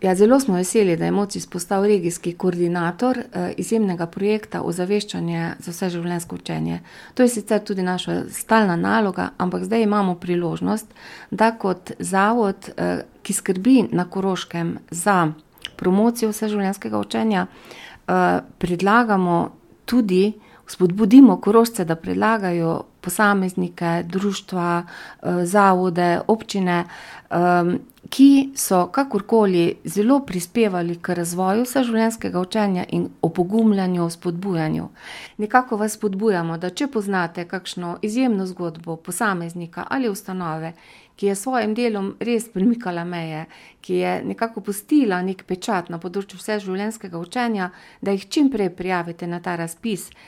Ja, zelo smo veseli, da je MOCIS postal regijski koordinator izjemnega projekta Ozaveščanje za vseživljenjsko učenje. To je sicer tudi naša stalna naloga, ampak zdaj imamo priložnost, da kot zavod, ki skrbi na Koroškem za promocijo vseživljenjskega učenja, predlagamo tudi, spodbudimo Korošce, da predlagajo posameznike, društva, zavode, občine, ki so kakorkoli zelo prispevali k razvoju vseživljenjskega učenja in opogumljanju, spodbujanju. Nekako vas spodbujamo, da če poznate kakšno izjemno zgodbo posameznika ali ustanove, ki je s svojim delom res premikala meje, ki je nekako pustila nek pečat na področju vseživljenjskega učenja, da jih čim prej prijavite na ta razpis.